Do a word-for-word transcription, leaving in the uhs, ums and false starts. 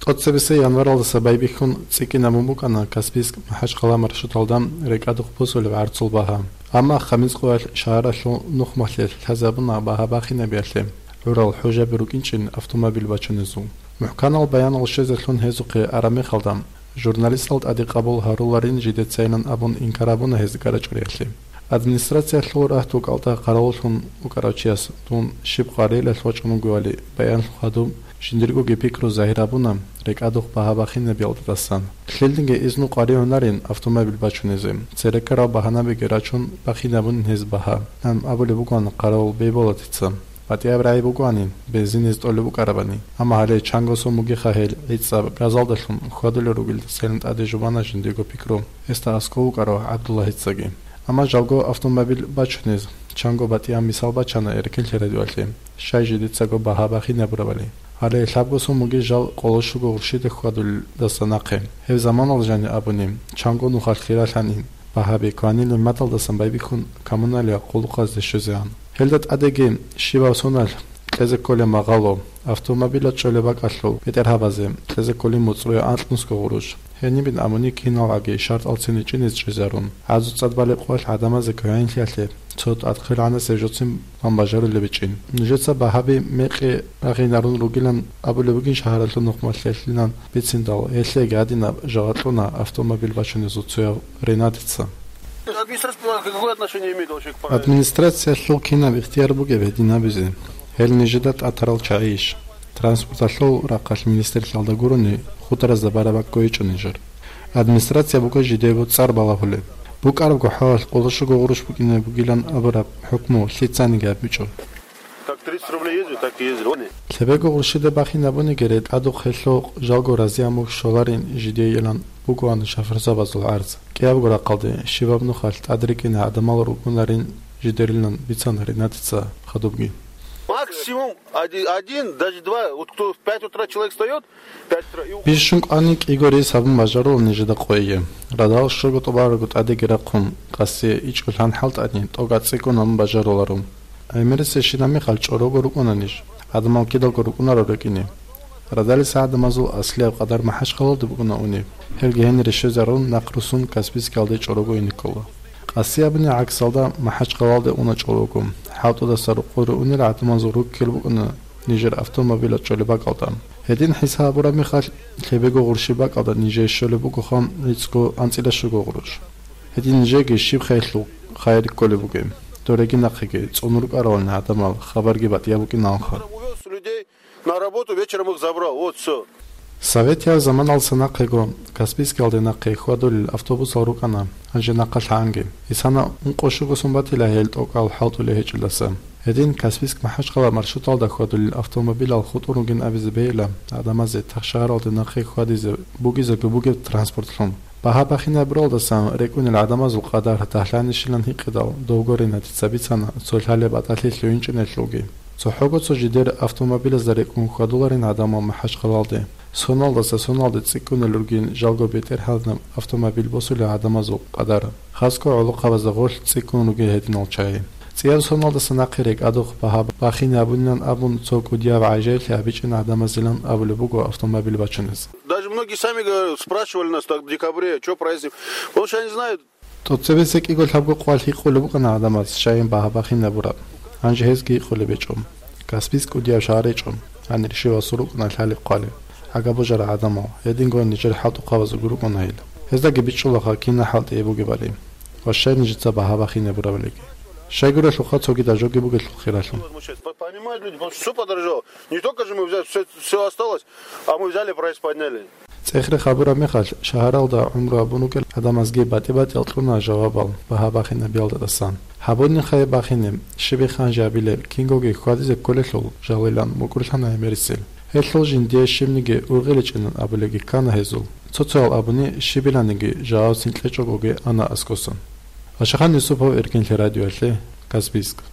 ТӀоцебесеб январалдаса байбихьун цӀикӀкӀинабун букӀана Каспийск – МахӀачхъала маршруталда рекӀадухъ босулеб гӀарцул багьа. Амма Хамис къоялъ шагьаралъул нухмалъе лъазабуна багьа бахинабиялъе гӀурал хӀужаби рукӀинчӀин автомобиль бачунезул. МухӀканал баянал щвезелъун гьезухъе араб мехалда, журналистал тӀаде къабул гьаруларин жидецайилан абун инкар гьабуна гьез гьарачӀориялъе. Администрациялъул рагьтул кӀалтӀа къаравуллъун вукӀарав чияс дун щиб къварилъалъ вачӀун вугевали баянлъухъ гьадуб, жиндиргоги пикру загьир гьабуна рекӀадухъ багьа бахинабиялдасан. Лъилниги изну къваригӀунарин автомобиль бачунезе, церекарал багьанабиги рачун бахинабунин гьез багьа, ан абулеб бугоан къаравул Бейболатица. БатӀияб рагӀи бугоанин, бензин гьез тӀолеб букӀарабани, амма гьале чанго сум бугеха гьел гӀицӀаб газалдалъун хьвадулел ругелдасайилан тӀаде жубана жиндирго пикру гьесда аскӀов вукӀарав ГӀабдуллагьицаги. Амма жалго автомобиль бачунез чанго батӀияб мисал бачана Эркин лъерадиялъе, щай жидецаго багьа бахинабурабали. Гьале лъабго сум бугеб жал къоло щуго гъурщида хьвадулелдаса нахъе. Гьеб заманалда жаниб абуни, чанго нухалъ хиралъанин, багьаби кванил нигӀматалдасан байбихьун коммуналияб къуллукъазде щвезегӀан. Гьелда тӀадеги щибаб соналъ кьезе кколеб магъало, автомобилаз чӀолеб бакӀалъул бетӀергьабазе кьезе кколин муцӀрое анкьнусго гъурущ. Гьенибин абуни киналгӀаги шартӀал циничӀине чӀезарун, гӀазу цӀад балеб къоялъ гӀадамазе квегӀинлъиялъе цо тӀадхъи гӀанасеб жоцин бан бажарулеб бичӀчӀин. Нужеца багьаби мекъи рагъинарун ругилан абулеб бугин шагьаралъул нухмалъелъилан бициндал, гьелъеги гьадинаб жаваб кьуна автомобиль бачунезул цояв Ренатица. Администрация какое отношение имеет вообще к правилам? Администрациялъул кинаб ихтияр бугеб гьедин абизе? Гьел нижеда тӀатарал чагӀийищ? Транспорталъул рахъалъ министрлъиялда гурони хударазда бараб бакӀ гьечӀо нижер. Администрация буго жидего цӀар балагьулеб. БукӀарабго хӀалалъ къоло щуго гъурущ букӀине бугилан абураб хӀукму лъицаниги гьабичӀо. Как тридцать рублей ездил, так и ездил. Лъебего гъурщида бахинабуниги рекӀадухъ гьелъухъ жалго разияб мухь щоларин жидейилан бугоан шофёрзабазул гӀарз. КӀиябго рахъалде щибаб нухалъ тӀад рикӀкӀине гӀадамал ругунарин жидерилан бицана Ренатица хадубги. Максимум один, один, даже два. Вот кто в пять утра человек встаёт, пять утра и у- Бищун кӀвани кӀиго рейс гьабун бажарулел нижеда къойги. Радал щуго тӀубарабго тӀадеги рахъун, къаси ичӀго лъан хӀалтӀани, тӀокӀаб цӀикӀкӀун гьабун бажаруларо. ГӀемерисебщинаб мехалъ чӀорого рукӀуна ниж, гӀадамал кидалго рукӀунаро рекӀине. Радалиса гӀадамазул аслияб къадар МахӀачхъалалде букӀуна унеб. Гьелги гьенире щвезарун, нахъ руссун Каспийскиялде чӀорого ине ккола. Къаси абуни гӀаксалда, МахӀачхъалалде уна чӀорого. ХӀалтӀудаса рукъуре унел гӀадамазул руккел букӀуна нижер автомобилаз чӀолеб бакӀалда. Гьедин хӀисаб гьабураб мехалъ, лъебего гъурщи бакӀалда нижее щолеб бугоха гӀицӀго анцӀила щуго гъурущ. Гьедин нижеги щиб хӀалалъул хайир кколеб бугеб? Дореги нахъеги цӀун рукӀаралани гӀадамал, хабарги батӀияб букӀиналха. Увёз людей на работу, вечером их забрал. Вот всё. Советияб заманалдаса нахъего Каспийскиялде нахъе хьвадулел автобусал рукӀана, гьанже нахъа лъанги. Исана ункъо щуго сум батила гьел тӀокӀал хӀалтӀулей гьечӀелдаса. Гьедин Каспийск – МахӀачхъала маршруталда хьвадулел автомобилал хутӀун ругин абизе бегьила гӀадамазе тахшагьаралде нахъе хьвадизе бугизего бугеб транспортлъун. Багьа бахинабуралдасан рекӀунел гӀадамазул къадар дагьлъанищилан гьикъидал, довго Ренатица бицана цо лъалеб батӀалъи лъугьинчӀинелъулги. ЦохӀого цо жидер автомобилазда рекӀун хьвадуларин гӀадамал МахӀачхъалалде. Соналдаса соналде цӀикӀкӀунел ругин жалго бетӀергьанаб автомобиль босулел гӀадамазул къадар. Хасго гӀолохъабазда гъорлъ цӀикӀкӀун ругел гьединал чагӀи. ЦӀияб соналдаса нахъе рекӀадухъ багьа бахинабунилан абун цо кӀудияб гӀажаиблъи гьабичӀин гӀадамазилан абулеб буго автомобиль бачунез. Даже многие сами говорят, спрашивали нас так в декабре, чё проездим? Потому что они знают. ТӀоцебесеб кӀиго лъабго къвалъ гьикъулеб букӀана гӀадамаз, щайин багьа бахинабураб. Гьанже гьезги гьикъулеб гьечӀо. Каспийск кӀудияб шагьар гьечӀо. Гьанир щивасул рукӀуна лъалеб хъвалеб. Гьагаб божарал гӀадамал, гьединго нижер хӀалтӀухъабазулги рукӀуна гьел. Гьездаги бичӀчӀулаха кина хӀалтӀи бугебали ва щай нижеца багьа бахинабурабалиги. Щайгурелъулха цогидал жоги бугелъул хиралъун. Понимают люди, потому что всё подорожало. Не только же мы взяли, всё, всё осталось, а мы взяли, прайс подняли. ЦӀехрехъ гьабураб мехалъ, шагьаралда гӀумру гьабун ругел гӀадамазги батӀи-батӀиял кьуна жавабал багьа бахинабиялдасан. Гьабунихъе бахине, щибихъ гьанже гьабилеб, кингоги хьвадизе кколелъул жалилан мукӀурлъана гӀемерисел. Гьелъул жиндие щибниги ургъиличӀинан абулебги ккана гьезул. Цо-цоял абуни щибиланиги жавабцин кьечӀогоги ана аскӀосан. Ашахан Юсупов, Эркинлъи радиоялъе, Каспийск.